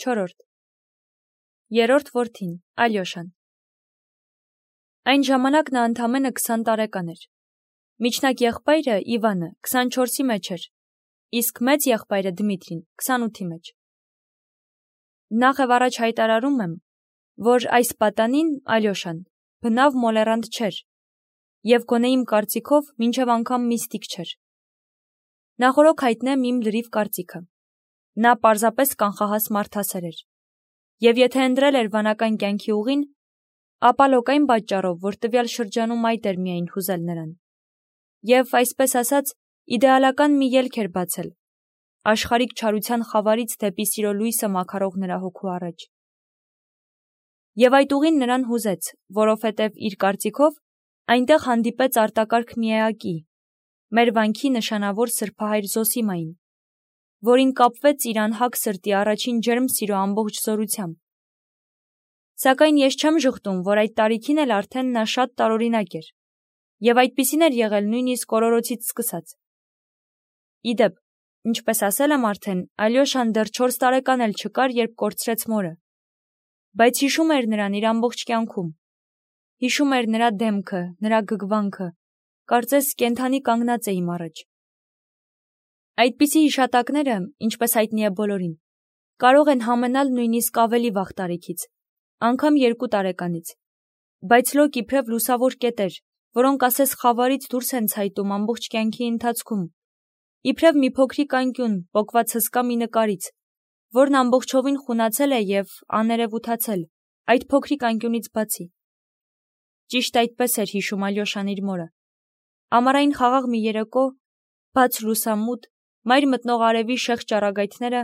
4. Երրորդ որդին, Ալյոշան։ Այն ժամանակ նա ընդամենը 20 տարեկան էր։ Միջնակ եղբայրը Իվանը 24-ի մեջ էր, իսկ մեծ եղբայրը Դմիտրին 28-ի մեջ։ Նախ եւ առաջ հայտարարում եմ, որ այս պատանին Ալյոշան բնավ մոլերանտ չէր եւ գոնե իմ կարծիքով մինչեւ անգամ միստիկ չէր։ Նախորոք հայտնեմ իմ լրիվ կարծիքը։ Նա պարզապես կանխահաս մարդասեր էր։ Եվ եթե ընտրել էր վանական կյանքի ուղին, ապա լոկային պատճառով, որ տվյալ շրջանում այդ էր միայն հուզել նրան։ Եվ, այսպես ասած, իդեալական մի ելք էր բացել, աշխարհիկ չարության խավարից դեպի սիրո լույսը մաքարող նրա հոգու առաջ։ Եվ այդ ուղին նրան հուզեց, որովհետև իր կարծիքով այնտեղ հանդիպեց արտակարգ մի էակի, մեր վանքի նշանավոր սրբահայր Զոսիմային, որին կապվեց իր անհակ սրտի առաջին ջերմ սիրո ամբողջ զորությամբ։ Սակայն ես չեմ ժխտում, որ այդ տարիքին էլ արդեն նա շատ տարօրինակ էր, եւ այդպիսին էր եղել նույնիսկ օրորոցից սկսած։ Իդեպ, ինչպես ասել եմ արդեն, Ալյոշան դեռ 4 տարեկան էլ չկար, երբ կորցրեց մորը, բայց հիշում էր նրան իր ամբողջ կյանքում։ Հիշում էր նրա դեմքը, նրա գգվանքը, կարծես կենդանի կանգնած է իմ առաջ։ Այդպիսի հիշատակները, ինչպես հայտնի է բոլորին, կարող են համենալ նույնիսկ ավելի վաղ տարիքից, անգամ 2 տարեկանից, բայց լոկ իբրև լուսավոր կետեր, որոնք ասես խավարից դուրս են ցայտում ամբողջ կյանքի ընթացքում, իբրև մի փոքրիկ անկյուն, պոկված հսկա մի նկարից, որն ամբողջովին խունացել է եւ աներևութացել, այդ փոքրիկ անկյունից բացի։ Ճիշտ այդպես էր հիշում Ալյոշան իր մորը։ Ամառային խաղաղ մի երեկո, բաց լուսամուտ, մայր մտնող արևի շեղ ճառագայթները,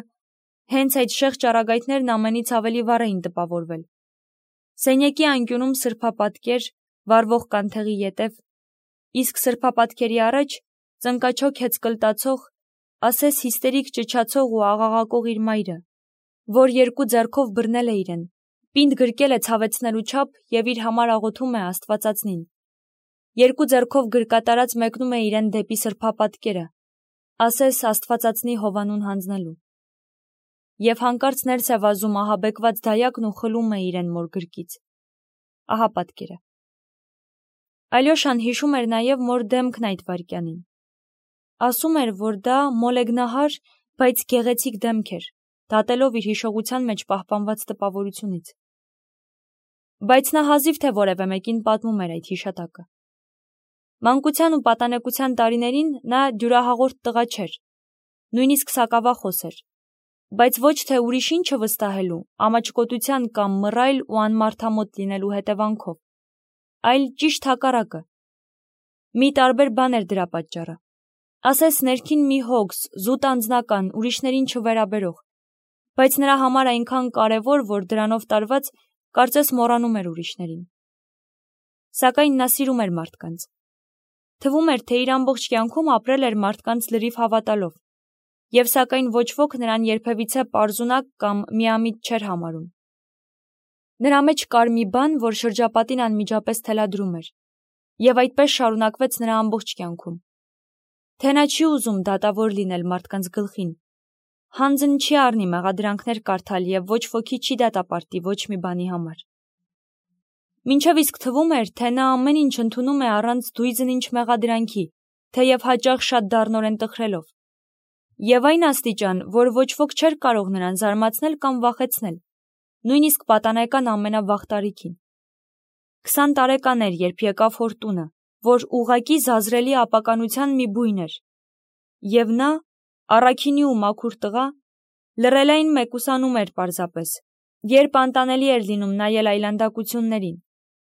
հենց այդ շեղ ճառագայթներն ամենից ավելի վառ էին տպավորվել։ Սենյակի անկյունում սրբապատկեր, վառվող կանթեղի ետև, իսկ սրբապատկերի առաջ ծնկաչոք հեծկլտացող, ասես հիստերիկ ճչացող ու աղաղակող իր մայրը, որ 2 ձեռքով բռնել է իրեն, պինդ գրկել է ցավեցնելու չափ եւ իր համար աղոթում է Աստվածածնին։ 2 ձեռքով գրկատարած մեկնում է իրեն դեպի սրբապատկերը, ասես Աստվածածնի հովանուն հանձնելու։ Եվ հանկարծ ներս է վազում ահաբեկված դայակն ու խլում է իրեն մոր գրկից։ Ահա պատկերը։ Ալյոշան հիշում էր նաև մոր դեմքն այդ վայրկյանին։ Ասում էր, որ դա մոլեգնահար, բայց գեղեցիկ դեմք էր, դատելով իր հիշողության մեջ պահպանված տպավորությունից։ Բայց նա հազիվ թե որևէ մեկին պատմում էր այդ հիշատակը։ Մանկության ու պատանեկության տարիներին նա դյուրահաղորդ տղա չէր, նույնիսկ սակավախոս էր, բայց ոչ թե ուրիշ ինչը վստահելու, ամաչկոտության կամ մռայլ ու անմարդամոտ լինելու հետևանքով, այլ ճիշտ հակառակը։ Մի տարբեր բան էր դրա պատճառը։ Ասես ներքին մի հոգս, զուտ անձնական, ուրիշներին չվերաբերող, բայց նրա համար այնքան կարևոր, որ դրանով տարված կարծես մոռանում էր ուրիշներին։ Սակայն նա սիրում էր մարդկանց։ Թվում էր, թե իր ամբողջ կյանքում ապրել էր մարդկանց լրիվ հավատալով, եւ սակայն ոչ ոք նրան երբևիցե պարզունակ կամ միամիտ չէր համարում։ Նրա մեջ կար մի բան, որ շրջապատին անմիջապես թելադրում էր, եւ այդպես շարունակվեց նրա ամբողջ կյանքում։ Թե նա չի ուզում դատավոր լինել մարդկանց գլխին, հանձն չի առնի մեղադրանքներ կարդալ եւ ոչ ոքի չի դատապարտի ոչ մի բանի համար։ Մինչև իսկ թվում էր, թե նա ամեն ինչ ընդունում է առանց դույզն-ինչ մեղադրանքի, թեև հաճախ շատ դառնորեն տխրելով։ Եվ այն աստիճան, որ ոչ ոք չէր կարող նրան զարմացնել կամ վախեցնել, նույնիսկ պատանեկան ամենավաղ տարիքին։ 20 տարեկան էր, երբ եկավ հոր տունը, որ ուղղակի զազրելի ապականության մի բույն էր։ Եվ նա, առաքինի ու մաքուր տղա, լռելային մեկուսանում էր պարզապես, երբ անտանելի էր լինում նայել այլանդակություններին,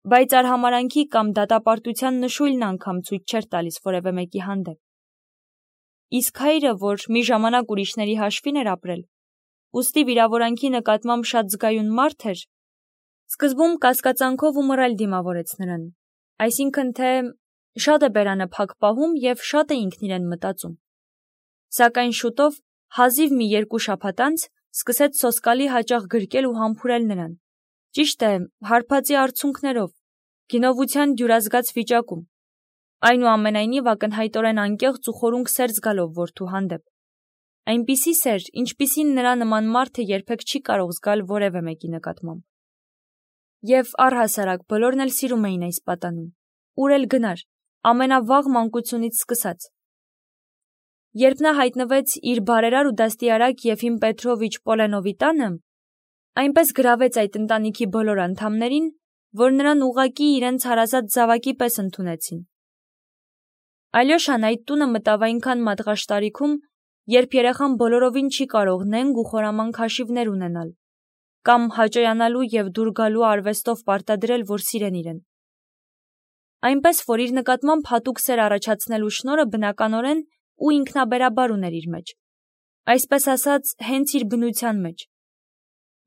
բայց արհամարանքի կամ դատապարտության նշույլն անգամ ցույց չէր տալիս որևէ մեկի հանդեպ։ Իսկ հայրը, որ մի ժամանակ ուրիշների հաշվին էր ապրել, ուստի վիրավորանքի նկատմամբ շատ զգայուն մարդ էր, սկզբում կասկածանքով ու մռայլ դիմավորեց նրան, այսինքն թե շատ է բերանը փակ պահում եւ շատ է ինքն իրեն մտածում։ Սակայն շուտով, հազիվ մի 2 շաբաթ անց, սկսեց սոսկալի հաճախ գրկել ու համբուրել նրան, ճիշտ է, հարբածի արցունքներով, գինովության դյուրազգաց վիճակում, այնուամենայնիվ ակնհայտորեն անկեղծ ու խորունկ սեր զգալով որդու հանդեպ, Այնպիսի սեր, ինչպիսին նրա նման մարդը երբեք չի կարող զգալ որևէ մեկի նկատմամբ։ Եվ առհասարակ բոլորն էլ սիրում էին այս պատանուն, ուր էլ գնար, ամենավաղ մանկությունից սկսած։ Երբ նա հայտնվեց իր բարերար ու դաստիարակ Եֆիմ Պետրովիչ Պոլենովի տանը, այնպես գրավեց այդ ընտանիքի բոլոր անդամներին, որ նրան ուղղակի իրենց հարազատ զավակի պես ընդունեցին։ Ալյոշան այդ տունը մտավ այնքան մատղաշ երբ երեխան բոլորովին չի կարող նենգ ու խորամանկ հաշիվներ ունենալ, կամ հաճոյանալու և դուր գալու արվեստով պարտադրել, որ սիրեն իրեն։ Այնպես, որ իր նկատմամբ հատուկ սեր առաջացնելու շնորհը բնականորեն ու ինքնաբերաբար ուներ իր մեջ, այսպես ասած, հենց իր բնության մեջ։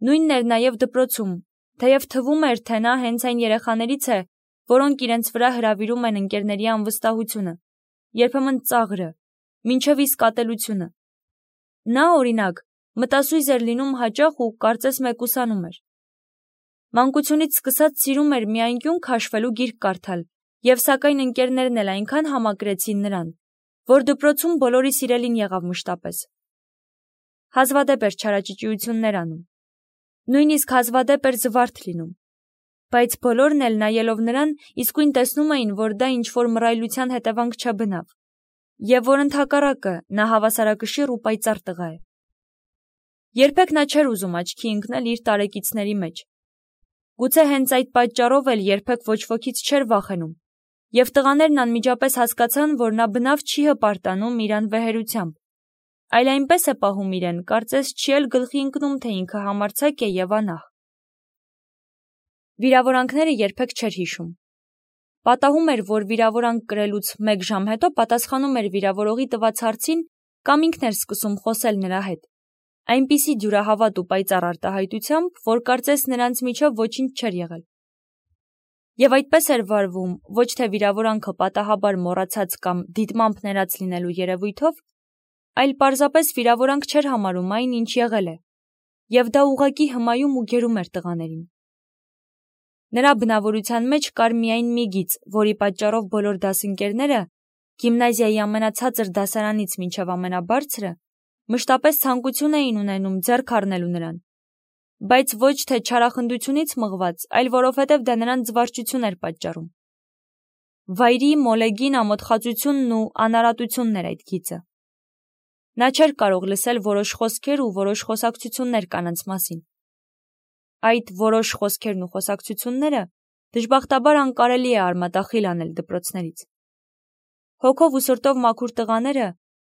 Նույնն էր նաև դպրոցում, թեև թվում էր, թե նա հենց այն երեխաներից է, որոնք իրենց վրա հրավիրում են ընկերների անվստահությունը, երբեմն ծաղրը, մինչև իսկ ատելությունը։ Նա, օրինակ, մտասույզ էր լինում հաճախ ու կարծես մեկուսանում էր։ Մանկությունից սկսած սիրում էր մի անկյուն քաշվելու գիրք կարդալ, և սակայն ընկերներն էլ այնքան համակրեցին նրան, որ դպրոցում բոլորի սիրելին եղավ մշտապես։ Հազվադեպ էր չարաճճիություններ անում։ Նույնիսկ հազվադեպ էր զվարթ լինում։ Բայց բոլորն էլ նայելով նրան իսկույն տեսնում էին, որ դա ինչ-որ մռայլության հետևանք չէ բնավ, և որ ընդհակառակը նա հավասարակշիռ ու պայծառ տղա է։ Երբեք նա չէր ուզում աչքի ընկնել իր տարեկիցների մեջ։ Գուցե հենց այդ պատճառով էլ երբեք ոչ ոքից չէր վախենում, և տղաներն անմիջապես հասկացան, որ նա բնավ չի հպարտանում իր անվեհերությամբ, այլ այնպես է պահում իրեն, կարծես չի էլ գլխի ընկնում, թե ինքը համարձակ է և անահ։ Վիրավորանքները երբեք չէր հիշում։ Պատահում էր, որ վիրավորանք կրելուց 1 ժամ հետո պատասխանում էր վիրավորողի տված հարցին կամ ինքն էր սկսում խոսել նրա հետ, այնպիսի դյուրահավատ ու պայծառ արտահայտությամբ, որ կարծես նրանց միջև ոչինչ չէր եղել։ Եվ այդպես էր վարվում ոչ թե վիրավորանքը պատահաբար մոռացած կամ դիտմամբ ներած լինելու երևույթով, այլ պարզապես վիրավորանք չէր համարում այն, ինչ եղել է, և դա ուղղակի հմայում ու գերում էր տղաներին։ Նրա բնավորության մեջ կար միայն մի գիծ, որի պատճառով բոլոր դասընկերները, գիմնազիայի ամենացածր դասարանից մինչև ամենաբարձրը, մշտապես ցանկություն էին ունենում ձեռք առնելու նրան, բայց ոչ թե չարախնդությունից մղված, այլ որովհետև դա նրան զվարճություն էր պատճառում։ Վայրի, մոլեգին, ամոթխածությունն ու անարատությունն էր այդ գիծը։ Նա չէր կարող լսել որոշ խոսքեր ու որոշ խոսակցություններ կանանց մասին։ Այդ որոշ խոսքերն ու խոսակցությունները դժբախտաբար անկարելի է արմատախիլ անել դպրոցներից։ Հոգով ու սրտով մաքուր տղաները,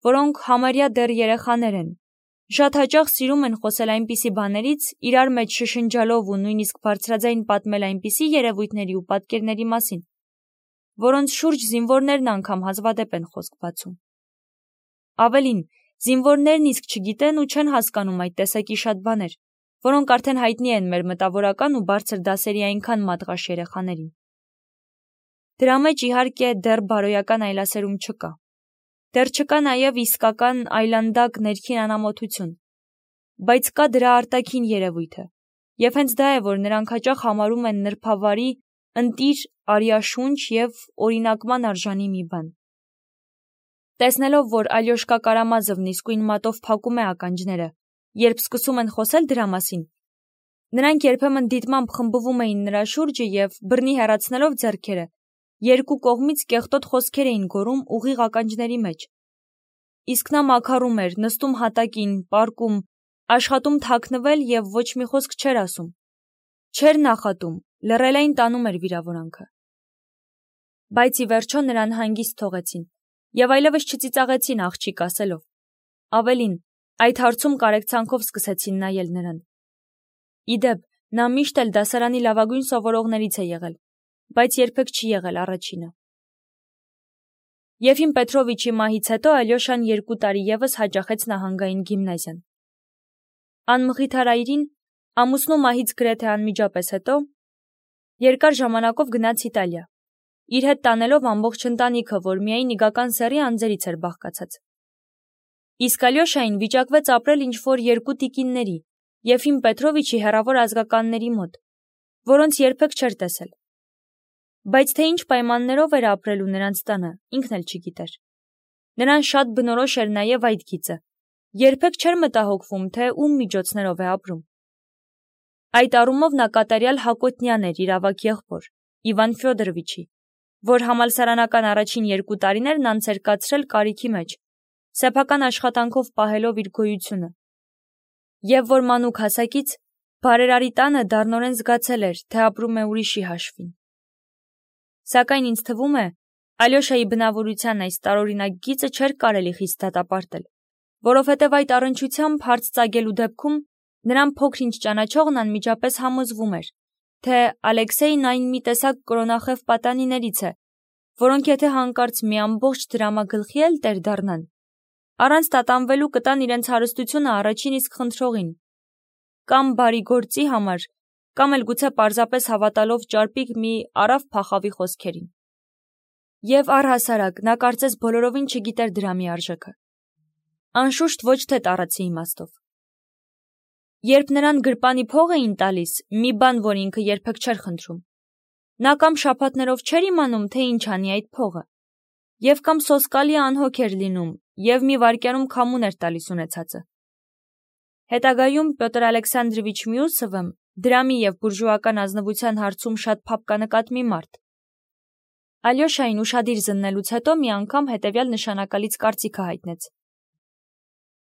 որոնք համարյա դեռ երեխաներ են, շատ հաճախ սիրում են խոսել այնպիսի բաներից, իրար մեջ շշնջալով ու նույնիսկ բարձրաձայն պատմել այնպիսի երևույթների ու պատկերների մասին, որոնց շուրջ զինվորներն անգամ հազվադեպ են խոսք բացում։ Ավելին, զինվորներն իսկ չգիտեն ու չեն հասկանում այդ տեսակի շատ բաներ, որոնք արդեն հայտնի են մեր մտավորական ու բարձր դասերի այնքան մատղաշ երեխաներին։ Դրա մեջ, իհարկե, դեռ բարոյական այլասերում չկա։ Դեռ չկա նաև իսկական այլանդակ ներքին անամոթություն, բայց կա դրա արտաքին երևույթը, և հենց դա է, որ նրանք հաճախ համարում են նրբավարի, ընտիր, արյաշունչ և օրինակման արժանի մի բան։ Տեսնելով, որ Ալյոշկա Կարամազովն իսկույն մատով փակում է ականջները, երբ սկսում են խոսել դրա մասին, նրանք երբեմն դիտմամբ խմբվում էին նրա շուրջը և, բռնի հեռացնելով ձեռքերը, երկու կողմից կեղտոտ խոսքեր էին գոռում ուղիղ ականջների մեջ։ Իսկ նա մաքարում էր, նստում հատակին, պառկում, աշխատում թաքնվել և ոչ մի խոսք չէր ասում։ Չէր նախատում, լռելային տանում էր վիրավորանքը։ Բայց ի վերջո նրան հանգիստ թողեցին և այլևս չծիծաղեցին աղջիկ ասելով։ Ավելին, այդ հարցում կարեկցանքով սկսեցին նայել նրան։ Իդեպ, նա միշտ էլ դասարանի լավագույն սովորողներից է եղել, բայց երբեք չի եղել առաջինը։ Եֆիմ Պետրովիչի մահից հետո Ալյոշան 2 տարի ևս հաճախեց նահանգային գիմնազիան։ Անմխիթարայրին, ամուսնու մահից գրեթե անմիջապես հետո, երկար ժամանակով գնաց Իտալիա, իր հետ տանելով ամբողջ ընտանիքը, որ միայն իգական սեռի անձերից էր բաղկացած։ Իսկ Ալյոշային վիճակվեց ապրել ինչ-որ 2 տիկինների, Եֆիմ Պետրովիչի հեռավոր ազգականների մոտ, որոնց երբեք չէր տեսել։ Բայց թե ինչ պայմաններով էր ապրելու նրանց տանը, ինքն էլ չգիտեր։ Նրան շատ բնորոշ էր նաև այդ գիծը, երբեք չէր մտահոգվում, թե ում միջոցներով է ապրում։ Այդ առումով նա կատարյալ Հակոտնյան էր իր ավագ եղբոր, Իվան Ֆյոդորովիչի, որ համալսարանական առաջին 2 տարիներն անց էր կացրել կարիքի մեջ, սեփական աշխատանքով պահելով իր գոյությունը, և որ մանուկ հասակից բարերարի տանը դառնորեն զգացել էր, թե ապրում է ուրիշի հաշվին։ Սակայն ինձ թվում է, Ալյոշայի բնավորության այս տարօրինակ գիծը չէր կարելի խիստ դատապարտել, որովհետև այդ առնչությամբ հարց ծագելու դեպքում նրան փոքր-ինչ ճանաչողն անմիջապես համոզվում էր, թե Ալեքսեյն այն մի տեսակ կրոնախև պատանիներից է, որոնք եթե հանկարծ մի ամբողջ դրամագլխի էլ տեր դառնան, առանց տատանվելու կտան իրենց հարստությունը առաջին իսկ խնդրողին, կամ բարի գործի համար, կամ էլ գուցե պարզապես հավատալով ճարպիկ մի արավ փախավի խոսքերին։ Եվ առհասարակ նա կարծես բոլորովին չգիտեր դրամի արժեքը, անշուշտ ոչ թե տառացի իմաստով։ Երբ նրան գրպանի փող էին տալիս, մի բան, որ ինքը երբեք չէր խնդրում, նա կամ շաբաթներով չէր իմանում, թե ինչ անի այդ փողը, և կամ սոսկալի անհոգ էր լինում, և մի վայրկյանում քամուն էր տալիս ունեցածը։ Հետագայում Պյոտր Ալեքսանդրովիչ Մյուսովը դրամի և բուրժուական ազնվության հարցում շատ փափկանկատ մի մարդ։ Ալյոշային ուշադիր զննելուց հետո մի անգամ հետևյալ նշանակալից կարծիքը հայտնեց.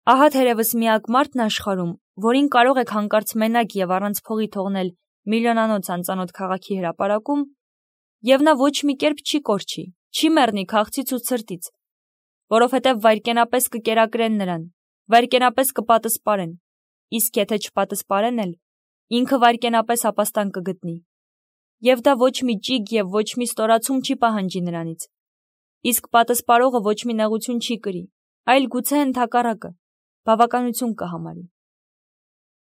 ահա թերևս միակ մարդն աշխարհում, որին կարող եք հանկարծ մենակ և առանց փողի թողնել միլիոնանոց անծանոթ քաղաքի հրապարակում, և նա ոչ մի կերպ չի կորչի, չի մեռնի քաղցից ու ցրտից, որովհետև վայրկենապես կկերակրեն նրան, վայրկենապես կպատսպարեն, իսկ եթե չպատսպարեն էլ, ինքը վայրկենապես ապաստան կգտնի, և դա ոչ մի ճիգ և ոչ մի ստորացում չի պահանջի նրանից, իսկ պատսպարողը ոչ մի նեղություն չի կրի, այլ գուցե ընդհակառակը, բավականություն կհամարի։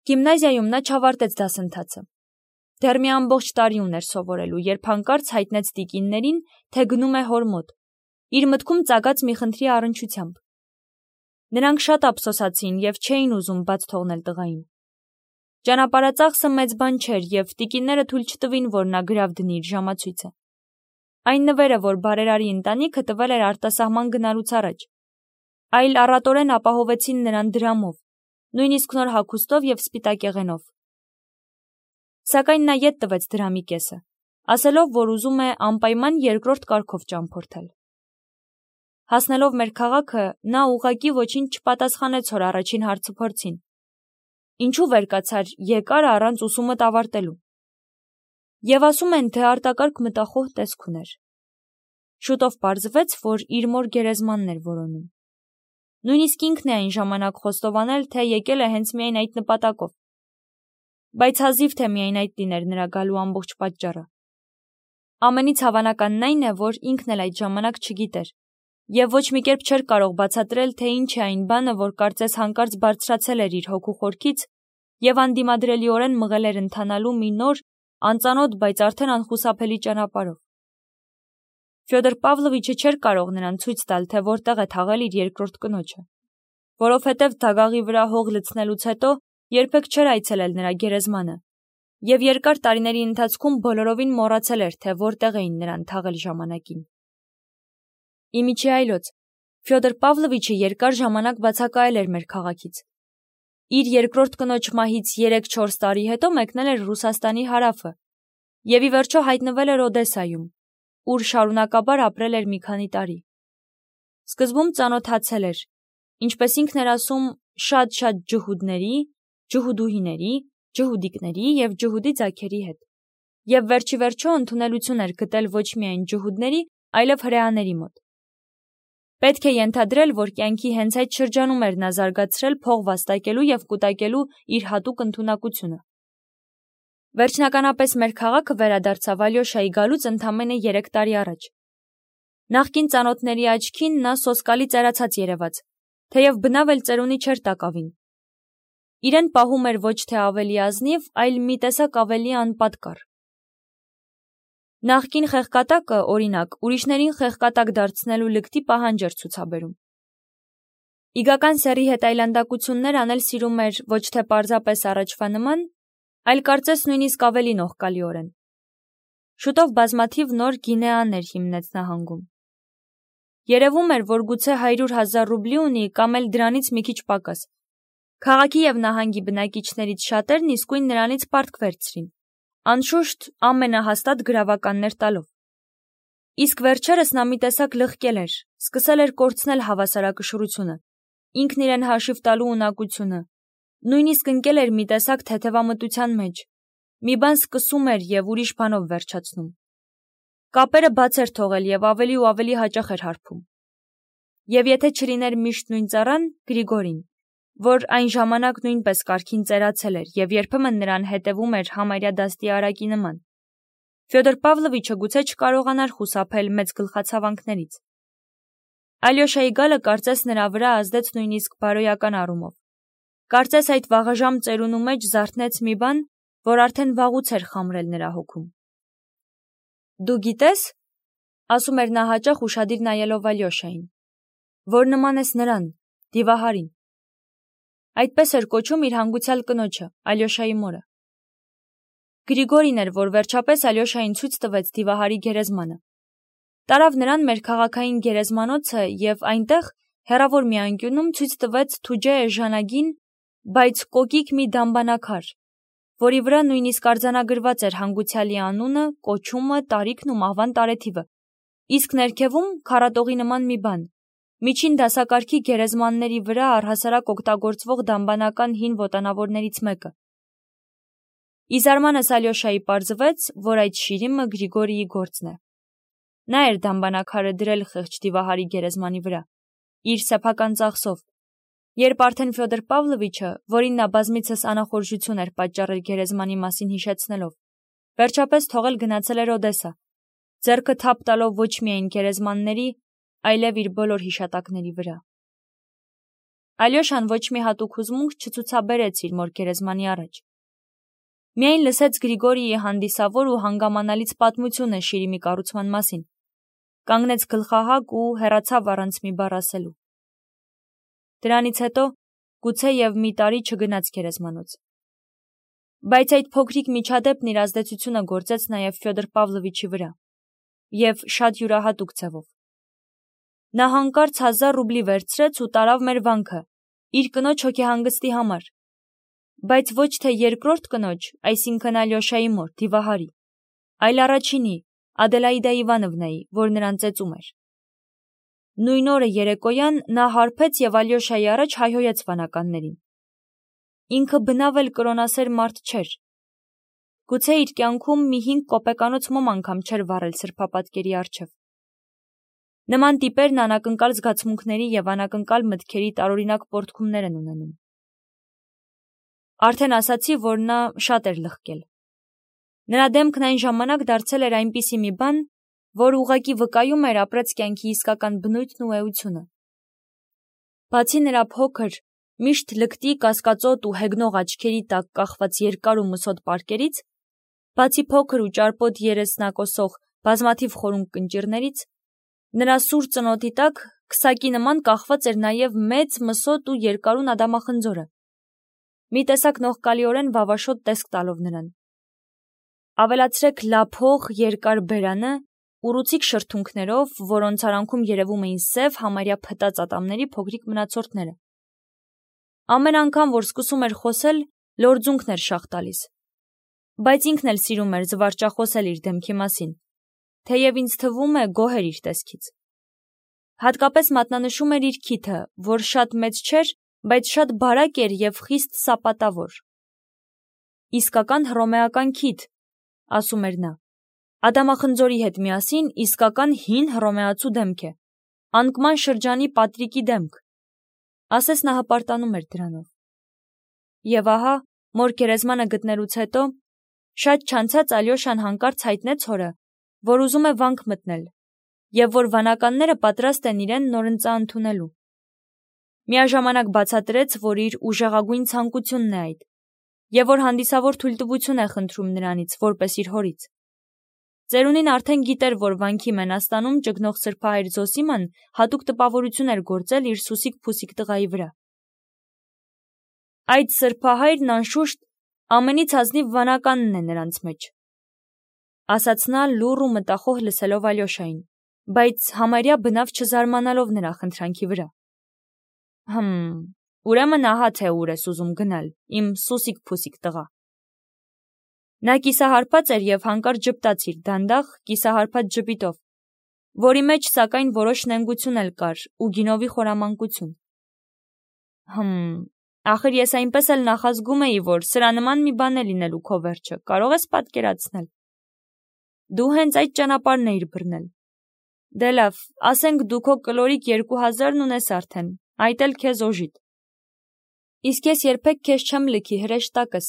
Գիմնազիայում նա չավարտեց դասընթացը։ Դեռ մի ամբողջ տարի ուներ սովորելու, երբ հանկարծ հայտնեց տիկիններին, թե գնում է հոր մոտ, իր մտքում ծագած մի խնդրի առնչությամբ։ Նրանք շատ ափսոսացին և չէին ուզում բաց թողնել տղային։ Ճանապարհածախսը մեծ բան չէր, և տիկինները թույլ չտվին, որ նա գրավ դնի իր ժամացույցը։ Այն նվերը, որ բարերարի ընտանիքը տվել էր արտասահման գնալուց առաջ, այլ առատորեն ապահովեցին նրան դրամով, նույնիսկ նոր հագուստով և սպիտակեղենով։ Սակայն նա ետ տվեց դրամի կեսը, ասելով, որ ուզում է անպայման երկրորդ կարգով ճամփորդել։ Հասնելով մեր քաղաքը, նա ուղղակի ոչինչ չպատասխանեց հոր առաջին հարցուփորձին։ Ինչու վեր կացար եկար առանց ուսումդ ավարտելու։ Եվ ասում են, թե արտակարգ մտախոհ տեսք ուներ։ Շուտով պարզվեց, որ իր մոր գերեզմանն էր որոնում։ Նույնիսկ ինքն է այն ժամանակ խոստովանել, թե եկել է հենց միայն այդ նպատակով։ Բայց հազիվ թե միայն այդ լիներ նրա գալու ամբողջ պատճառը։ Ամենից հավանականն այն է, որ ինքն էլ այդ ժամանակ չգիտեր, և ոչ մի կերպ չէր կարող բացատրել, թե ինչ է այն բանը, որ կարծես հանկարծ բարձրացել էր իր հոգու խորքից և անդիմադրելիորեն մղել էր ընթանալու մի նոր, անծանոթ, բայց արդեն անխուսափելի ճանապարհով։ Ֆյոդոր Պավլովիչը չէր կարող նրան ցույց տալ, թե որտեղ է թաղել իր երկրորդ կնոջը, որովհետև դագաղի վրա հող լցնելուց հետո երբեք չէր այցելել նրա գերեզմանը, և երկար տարիների ընթացքում բոլորովին մոռացել էր, թե որտեղ էին նրան թաղել ժամանակին։ Իմիջի այլոց, Ֆյոդոր Պավլովիչը երկար ժամանակ բացակայել էր մեր քաղաքից։ Իր երկրորդ կնոջ մահից 3-4 տարի հետո մեկնել էր Ռուսաստանի հարավը և ի վերջո հայտնվել էր Օդեսայում, ուր շարունակաբար ապրել էր մի քանի տարի։ Սկզբում ծանոթացել էր, ինչպես ինքն էր ասում, շատ ջհուդների, ջհուդուհիների, ջհուդիկների և ջհուդի ձագերի հետ, և վերջիվերջո ընդունելություն էր գտել ոչ միայն ջհուդների, այլև հրեաների մոտ։ Պետք է ենթադրել, որ կյանքի հենց այդ շրջանում էր նա զարգացրել փող վաստակելու և կուտակելու իր հատուկ ընդունակությունը։ Վերջնականապես մեր քաղաքը վերադարձավ Ալյոշայի գալուց ընդամենը 3 տարի առաջ։ Նախկին ծանոթների աչքին նա սոսկալի ծերացած երևաց, թեև բնավ էլ ծերունի չէր տակավին։ Իրեն պահում էր ոչ թե ավելի ազնիվ, այլ մի տեսակ ավելի անպատկառ։ Նախկին խեղկատակը, օրինակ, ուրիշներին խեղկատակ դարձնելու լկտի պահանջ էր ցուցաբերում։ Իգական սեռի հետ այլանդակություններ անել սիրում էր ոչ թե պարզապես առաջվա նման, այլ կարծես նույնիսկ ավելի նողկալիորեն։ Շուտով բազմաթիվ նոր գինեաներ հիմնեց նահանգում։ Երևում էր, որ գուցե 100,000 ռուբլի ունի կամ էլ դրանից մի քիչ պակաս։ Քաղաքի և նահանգի բնակիչներից շատերն իսկույն նրանից պարտք վերցրին, անշուշտ ամենահաստատ գրավականներ տալով։ Իսկ վերջերս նա մի տեսակ լղկել էր, սկսել էր կորցնել հավասարակշռությունը, ինքն իրեն հաշիվ տալու ունակությունը, նույնիսկ ընկել էր մի տեսակ թեթևամտության մեջ, մի բան սկսում էր և ուրիշ բանով վերջացնում։ Կապերը բաց էր թողել և ավելի ու ավելի հաճախ էր հարբում։ Եվ եթե չլիներ միշտ նույն ծառան, Գրիգորին, որ այն ժամանակ նույնպես կարգին ծերացել էր և երբեմն նրան հետևում էր համարյա դաստիարակի նման, Ֆյոդոր Պավլովիչը գուցե չկարողանար խուսափել մեծ գլխացավանքներից։ Ալյոշայի գալը կարծես նրա վրա ազդեց նույնիսկ բարոյական առումով։ Կարծես այդ վաղաժամ ծերունու մեջ զարթնեց մի բան, որ արդեն վաղուց էր խամրել նրա հոգում։ Դու գիտես, ասում էր նա հաճախ ուշադիր նայելով Ալյոշային, որ նման ես նրան, Դիվահարին։ Այդպես էր կոչում իր հանգուցյալ կնոջը, Ալյոշայի մորը։ Գրիգորին էր, որ վերջապես Ալյոշային ցույց տվեց Դիվահարի գերեզմանը։ Տարավ նրան մեր քաղաքային գերեզմանոցը և այնտեղ, հեռավոր մի անկյունում, ցույց տվեց Թուջե էժանագին, բայց կոկիկ մի դամբանակար, որի վրա նույնիսկ արձանագրված էր հանգուցյալի անունը, կոչումը, տարիքն ու մահվան տարեթիվը, իսկ ներքևում քառատողի նման մի բան, միջին դասակարգի գերեզմանների վրա առհասարակ օգտագործվող դամբանական հին ոտանավորներից մեկը։ Ի զարմանս Ալյոշայի պարզվեց, որ այդ շիրիմը Գրիգորիի գործն է։ Նա էր դամբանակարը դրել խեղճ Դիվահարի գերեզմանի վրա, իր սեփական ծախսով, երբ արդեն Ֆյոդոր Պավլովիչը, որին նա բազմիցս անախորժություն էր պատճառել գերեզմանի մասին հիշեցնելով, վերջապես թողել գնացել էր Օդեսա, ձեռքը թափ տալով ոչ միայն գերեզմանների, այլև իր բոլոր հիշատակների վրա։ Ալյոշան ոչ մի հատուկ հուզմունք չցուցաբերեց իր մոր գերեզմանի առաջ։ Միայն լսեց Գրիգորիի հանդիսավոր ու հանգամանալից պատմությունը շիրիմի կառուցման մասին, կանգնեց գլխահակ ու հեռացավ առանց մի բառ ասելու։ Դրանից հետո գուցե և մի տարի չգնաց գերեզմանոց։ Բայց այդ փոքրիկ միջադեպն իր ազդեցությունը գործեց նաև Ֆյոդոր Պավլովիչի վրա, և շատ յուրահատուկ ձևով։ Նա հանկարծ 1000 ռուբլի վերցրեց ու տարավ մեր վանքը, իր կնոջ հոգեհանգստի համար, բայց ոչ թե երկրորդ կնոջ, այսինքն Ալյոշայի մոր, Դիվահարի, այլ առաջինի, Ադելաիդա Իվանովնայի, որ նրան ծեծում էր։ Նույն օրը երեկոյան նա հարբեց և Ալյոշայի առաջ հայհոյեց վանականներին։ Ինքը բնավ էլ կրոնասեր մարդ չէր։ Գուցե իր կյանքում մի 5 կոպեկանոց մոմ անգամ չէր վառել սրբապատկերի առջև։ Նման տիպերն անակնկալ զգացմունքների և անակնկալ մտքերի տարօրինակ պոռթկումներ են ունենում։ Արդեն ասացի, որ նա շատ էր լղկել։ Նրա դեմքն այն ժամանակ դարձել էր այնպիսի մի բան, որ ուղղակի վկայում էր ապրած կյանքի իսկական բնույթն ու էությունը։ Բացի նրա փոքր, միշտ լկտի, կասկածոտ ու հեգնող աչքերի տակ կախված երկար ու մսոտ պարկերից, բացի փոքր ու ճարպոտ երեսնակոսող բազմաթիվ խորունկ կնճիռներից, նրա սուր ծնոտի տակ քսակի նման կախված էր նաև մեծ, մսոտ ու երկարուն ադամախնձորը, մի տեսակ նողկալիորեն վավաշոտ տեսք տալով նրան։ Ավելացրեք լափող, երկար բերանը, ուռուցիկ շրթունքներով, որոնց արանքում երևում էին սև, համարյա փտած ատամների փոքրիկ մնացորդները։ Ամեն անգամ, որ սկսում էր խոսել, լորձունքն էր շաղ տալիս։ Բայց ինքն էլ սիրում էր զվարճախոսել իր դեմքի մասին, թեև ինձ թվում է գոհ էր իր տեսքից։ Հատկապես մատնանշում էր իր քիթը, որ շատ մեծ չէր, բայց շատ բարակ էր և խիստ սապատավոր։ Իսկական հռոմեական քիթ, ասում էր նա, ադամախնձորի հետ միասին իսկական հին հռոմեացու դեմք է, անկման շրջանի Պատրիկի դեմք, ասես նա հպարտանում էր դրանով։ Եվ ահա, մոր գերեզմանը գտնելուց հետո, շատ չանցած Ալյոշան հանկարծ հայտնեց հորը, որ ուզում է վանք մտնել, և որ վանականները պատրաստ են իրեն նորընծա ընդունելու։ Միաժամանակ բացատրեց, որ իր ուժեղագույն ցանկությունն է այդ, և որ հանդիսավոր թույլտվություն է խնդրում նրանից, որպես իր հորից։ Ծերունին արդեն գիտեր, որ վանքի մենաստանում ճգնող սրբահայր Զոսիման հատուկ տպավորություն էր գործել իր սուսիկ-փուսիկ տղայի վրա։ Այդ սրբահայրն անշուշտ ամենից ազնիվ վանականն է նրանց մեջ, ասաց նա լուռ ու մտախոհ լսելով Ալյոշային, բայց համարյա բնավ չզարմանալով նրա խնդրանքի վրա։ Ուրեմն ահա թե ուր ես ուզում գնալ, իմ սուսիկ-փուսիկ տղա։ Նա կիսահարբած էր և հանկարծ ժպտաց իր դանդաղ, կիսահարբած ժպիտով, որի մեջ սակայն որոշ նենգություն էլ կար ու գինովի խորամանկություն։ Ախր ես այնպես էլ նախազգում էի, որ սրա նման մի բան է լինելու քո վերջը, կարող ես պատկերացնել։ Դու հենց այդ ճանապարհն էիր բռնել։ Դե լավ, ասենք դու քո կլորիկ 2000-ն ունես արդեն, այդ էլ քեզ օժիտ։ Իսկ ես երբեք քեզ չեմ լքի հրեշտակս։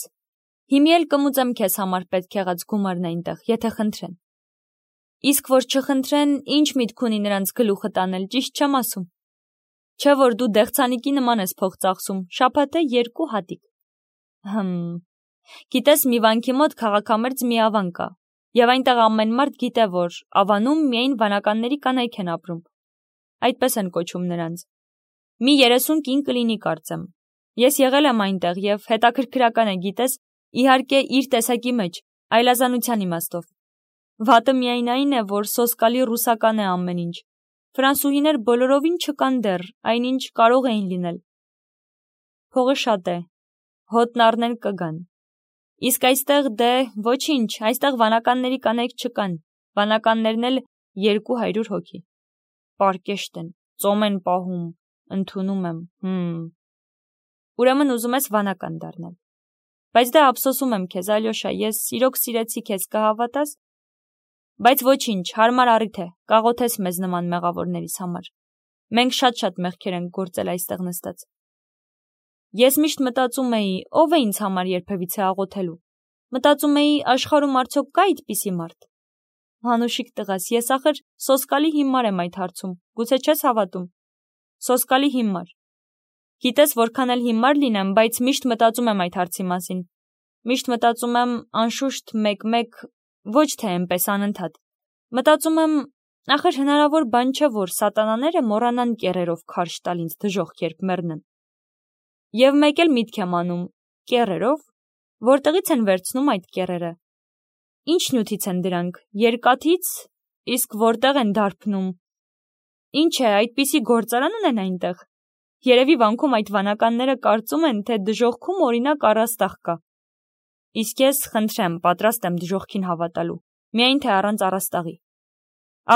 Հիմի էլ կմուծեմ քեզ համար պետք եղած գումարն այնտեղ, եթե խնդրեն։ Իսկ որ չխնդրեն, ինչ միտք ունի նրանց գլուխը տանել, ճիշտ չեմ ասում։ Չէ որ դու դեղցանիկի նման ես փող ծախսում, շաբաթը 2 հատիկ։ Գիտես, մի վանքի մոտ քաղաքամերձ մի ավան կա, և այնտեղ ամեն մարդ գիտե, որ ավանում միայն վանականների կանայք են ապրում։ Այդպես են կոչում նրանց։ Մի 30 կին կլինի կարծեմ։ Ես եղել եմ այնտեղ և հետաքրքրական է, գիտես, իհարկե իր տեսակի մեջ, այլազանության իմաստով։ Վատը միայն այն է, որ սոսկալի ռուսական է ամեն ինչ։ Ֆրանսուհիներ բոլորովին չկան դեռ, այնինչ կարող էին լինել։ Փողը շատ է, հոտն առնել կգան։ Իսկ այստեղ դե ոչինչ, այստեղ վանականների կանայք չկան, վանականներն էլ 200 հոգի։ Պարկեշտ են, ծոմ են պահում, ընդունում եմ, Ուրեմն ուզում ես վանական դառնալ։ Բայց դե ափսոսում եմ քեզ, Ալյոշա, ես իրոք սիրեցի քեզ, կհավատաս։ Բայց ոչինչ, հարմար առիթ է, կաղոթես մեզ նման մեղավորներիս համար։ Մենք շատ-շատ մեղքեր ենք գործել այստեղ նստած։ Ես միշտ մտածում էի, ով է ինձ համար երբևիցե աղոթելու։ Մտածում էի, աշխարհում արդյոք կա այդպիսի մարդ։ Հանուշիկ տղաս, ես ախր սոսկալի հիմար եմ այդ հարցում, գուցե չես հավատում։ Սոսկալի հիմար։ Գիտես, որքան էլ հիմար լինեմ, բայց միշտ մտածում եմ այդ հարցի մասին։ Միշտ մտածում եմ, անշուշտ մեկ-մեկ, ոչ թե այնպես անընդհատ։ Մտածում եմ, ախր հնարավոր բան չէ, որ սատանաները մոռանան կեռերով քարշ տալ ինձ դժոխք, երբ մեռնեն։ Եվ մեկ էլ միտք եմ անում, կեռերով, որտեղից են վերցնում այդ կեռերը։ Ինչ նյութից են դրանք, երկաթից, իսկ որտեղ են դարբնում։ Ինչ է, այդպիսի գործարան ունեն այնտեղ։ Երևի վանքում այդ վանականները կարծում են, թե դժոխքում օրինակ առաստաղ կա։ Իսկ ես, խնդրեմ, պատրաստ եմ դժոխքին հավատալու, միայն թե առանց առաստաղի։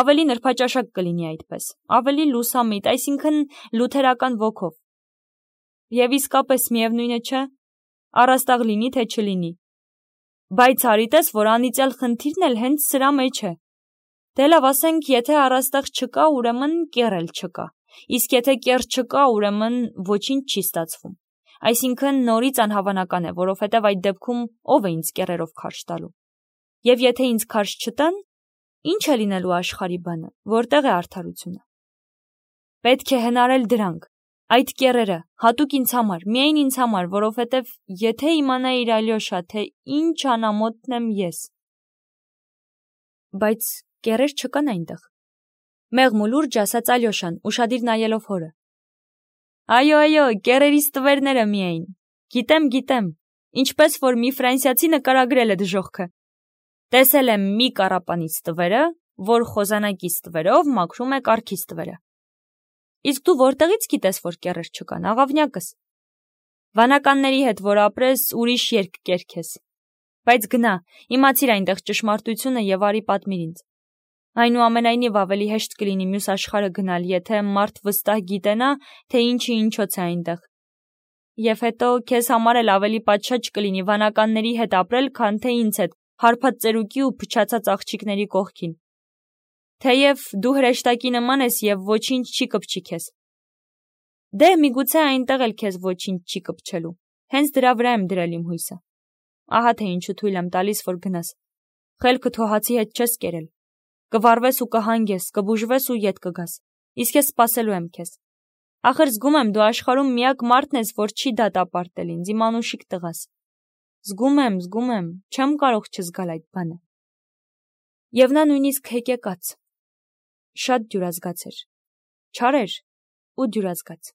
Ավելի նրբաճաշակ կլինի այդպես, ավելի լուսամիտ, այսինքն լութերական ոգով։ Եվ իսկապես միևնույն է, չէ, առաստաղ լինի, թե չլինի։ Բայց արիտես, որ անիծյալ խնդիրն էլ հենց սրա մեջ է։ Դե լավ, ասենք, եթե առաստաղ չկա, ուրեմն կեռ էլ չկա։ Իսկ եթե կեռ չկա, ուրեմն ոչինչ չի ստացվում։ Այսինքն նորից անհավանական է, որովհետև այդ դեպքում ով է ինձ կեռերով քարշ տալու։ Եվ եթե ինձ քարշ չտան, ինչ է լինելու աշխարհի բանը, որտեղ է արդարությունը։ Պետք է հնարել դրանք, այդ կեռերը, հատուկ ինձ համար, միայն ինձ համար, որովհետև եթե իմանայիր, Ալյոշա, թե ինչ անամոթն եմ ես։ Բայց կեռեր չկան այնտեղ։ Մեղմ ու լուրջ ասաց Ալյոշան, ուշադիր նայելով հորը։ Այո, կեռերից տվերները միայն։ Գիտեմ, ինչպես որ մի ֆրանսիացի նկարագրել է դժոխքը։ Տեսել եմ մի կառապանից տվերը, որ խոզանակից տվերով մաքրում է կառքից տվերը։ Իսկ դու որտեղից գիտես, որ կեռեր չկան, աղավնյակս։ Վանականների հետ որ ապրես, ուրիշ երկ կերքես։ Բայց գնա, իմացիր այնտեղ ճշմարտությունը եւ արի պատմիր ինձ։ Այնուամենայնիվ ավելի հեշտ կլինի մյուս աշխարհը գնալ, եթե մարդ վստահ գիտենա, թե ինչը ինչոց է այնտեղ։ Եվ հետո քեզ համար էլ ավելի պատշաճ կլինի վանականների հետ ապրել, քան թե ինձ հետ, հարբած ծերուկի ու փչացած աղջիկների կողքին։ Թեև դու հրեշտակի նման ես եւ ոչինչ չի կպչի քեզ։ Դե միգուցե այնտեղ էլ քեզ ոչինչ չի կպչելու։ Հենց դրա վրա եմ դրել իմ հույսը։ Ահա թե ինչու թույլ եմ տալիս, որ գնաս։ Խելքը թոհացի հետ չես կերել։ Կվառվես ու կհանգես, կբուժվես ու ետ կգաս։ Իսկ ես սպասելու եմ քեզ։ Ախր զգում եմ, դու աշխարհում միակ մարդն ես, որ չի դատապարտել ինձ, իմ անուշիկ տղաս։ Զգում եմ, չեմ կարող չզգալ այդ բանը։ Եվ նա նույնիսկ հեկեկաց։ Շատ դյուրազգաց էր։ Չար էր ու դյուրազգաց։